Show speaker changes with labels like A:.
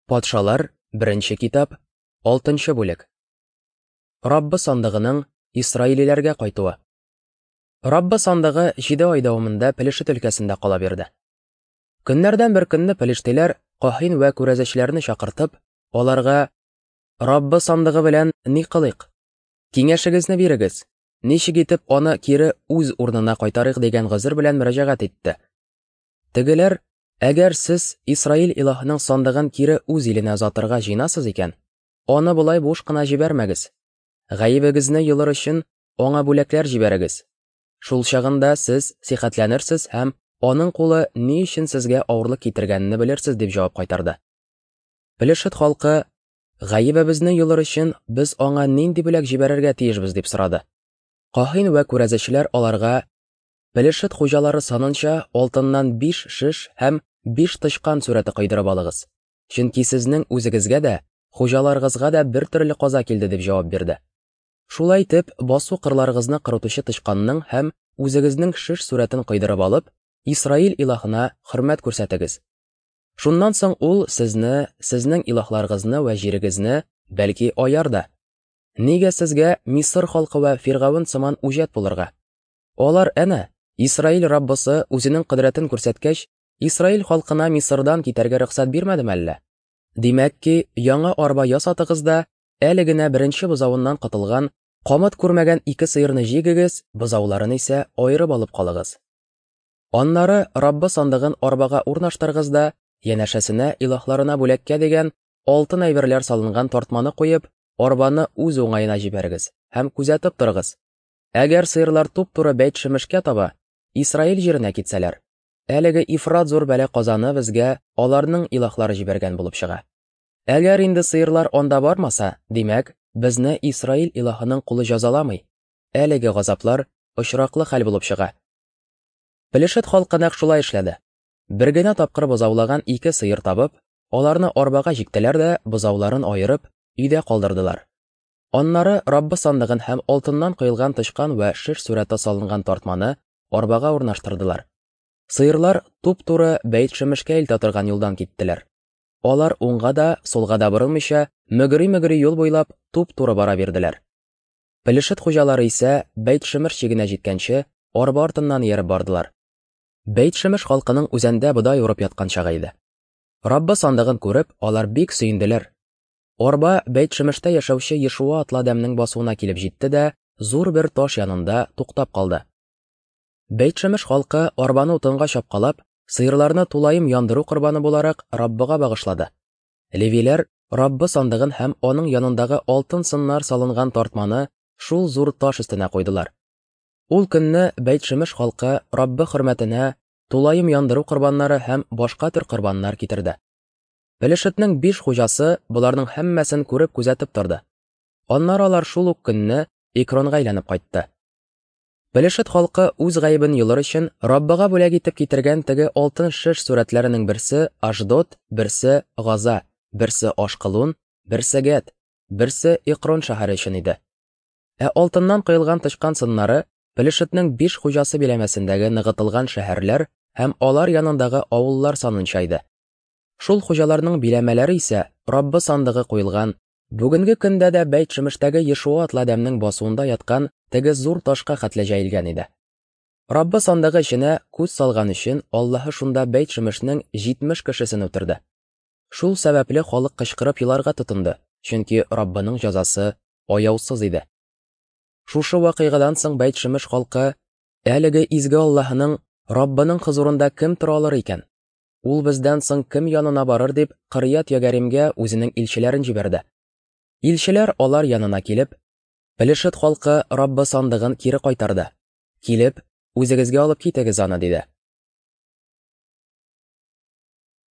A: Патшалар, беренче китап, 6 бүлек. Раббы сандыгының Исраилиләргә кайтуы. Раббы сандыгы 7 ай дәвамында Пелешет өлкәсендә кала бирде. Көннәрдән бер көнне пелештиләр каһин вә күрәзәчеләрне чакыртып, аларга: "Раббы сандыгы белән ни кылыйк? Киңәшегезне бирегез. Ничек итеп аны кире үз урынына кайтарыйк?" дигән гозер белән мөрәҗәгать итте. Тегеләр: "Әгәр сез Исраил илаһының сандыгын кире үз иленә озатырга җыенасыз икән, аны болай буш кына җибәрмәгез. Гаебегезне йолыр өчен аңа бүләкләр җибәрегез. Шул чагында сез сихәтләнерсез һәм аның кулы ни өчен сезгә авырлык китергәнне белерсез", дип җавап кайтарды. Пелешет халкы: "Гаебебезне йолыр өчен без аңа нинди бүләк җибәрергә тиешбез?" дип сорады. Каһин вә күрәзәчеләр аларга: "Пелешет хуҗалары санынча алтыннан 5 шеш һәм 5 тычкан сурәте койдырып алыгыз. Чөнки сезнең үзегезгә дә, хуҗаларыгызга да бер төрле каза килде", дип җавап бирде. Шулай итеп, басу кырларыгызны корытучы тычканның һәм үзегезнең шеш сурәтен койдырып алып, Исраил илаһына хөрмәт күрсәтегез. Шуннан соң ул сезне, сезнең илаһларыгызны вә җирегезне бәлки аяр да. Нигә сезгә Мисыр халкы вә Фиргавен сыман үҗәт булырга? Алар әнә, Исраил Раббысы үзенең кодрәтен күрсәткәч, Исраил халкына Мисырдан китәргә рөхсәт бирмәдеме әллә? Димәк ки, яңа арба ясатыгыз да, әле генә беренче бозавыннан котылган, камыт күрмәгән 2 сыерны җигегез, бозауларын исә аерып алып калыгыз. Аннары Раббы сандыгын арбага урнаштырыгыз да, янәшәсенә илаһларына бүләккә дигән алтын әйберләр салынган тартманы куеп, арбаны үз уңаена җибәрегез һәм күзәтеп торыгыз. Әгәр сыерлар туп-туры Бәйт-Шемешкә таба, Исраил җиренә китсәләр, әлеге ифрат зур бәла казаны безгә аларның илаһлары җибәргән булып чыга. Әгәр инде сыерлар анда бармаса, димәк, безне Исраил илаһының кулы җәзаламый. Әлеге газаплар очраклы хәл булып чыга. Пелешет халкы нәкъ шулай эшләде. Бер генә тапкыр бозаулаган 2 сыер табып, аларны арбага җиктеләр дә, бозауларын аерып, өйдә калдырдылар. Аннары Раббы сандыгын һәм алтыннан коелган тычкан вә шеш сурәте салынган тартманы арбага урнаштырдылар. Сыерлар туп-туры Бәйт-Шемешкә илтә торган юлдан киттеләр. Алар уңга да, сулга да борылмыйча, мөгри-мөгри юл буйлап туп-туры бара бирделәр. Пелешет хуҗалары исә Бәйт-Шемеш чигенә җиткәнче арба артыннан ияреп бардылар. Бәйт-Шемеш халкының үзәндә бодай урып яткан чагы иде. Раббы сандыгын күреп, алар бик сөенделәр. Арба Бәйт-Шемештә яшәүче Ешуа атлы адәмнең басуына килеп җитте дә, зур бер таш янында туктап калды. Бәйт-Шемеш халкы арбаны утынга чапкалап, сыерларны тулаем яндыру корбаны буларак Раббыга багышлады. Левиләр Раббы сандыгын һәм аның янындагы алтын сыннар салынган тартманы шул зур таш өстенә куйдылар. Ул көнне Бәйт-Шемеш халкы Раббы хөрмәтенә тулаем яндыру корбаннары һәм башка төр корбаннар китерде. Пелешетнең 5 хуҗасы боларның һәммәсен күреп күзәтеп торды. Аннары алар шул ук көнне Экронга әйләнеп кайтты. Пелешет халкы үз гаебен йолыр өчен Раббыга бүләк итеп китергән теге алтын шеш сурәтләренең берсе Ашдод, берсе Газа, берсе Ашкалун, берсе Гәт, берсе Экрон шәһәре өчен иде. Ә алтыннан коелган тычкан сыннары Пелешетнең 5 хуҗасы биләмәсендәге ныгытылган шәһәрләр һәм алар янындагы авыллар санынча иде. Шул хуҗаларның биләмәләре исә Раббы сандыгы куелган, бүгенге көндә дә Бәйт-Шемештәге Ешуа атлы адәмнең басуында яткан теге зур ташка хәтле җәелгән иде. Раббы сандыгы эченә күз салган өчен Аллаһы шунда Бәйт-Шемешнең 70 кешесен үтерде. Шул сәбәпле халык кычкырып еларга тотынды, чөнки Раббының җәзасы аяусыз иде. Шушы вакыйгадан соң Бәйт-Шемеш халкы: Әлеге изге Аллаһының, Раббының хозурында кем тора алыр икән? Ул бездән соң кем янына барыр, дип Кырьят Ягаримгә үзенең илчеләрен җибәрде. Илчеләр алар янына килеп: Пелешет халкы Раббы сандыгын кире кайтарды. Килеп, үзегезгә алып китегез аны, диде.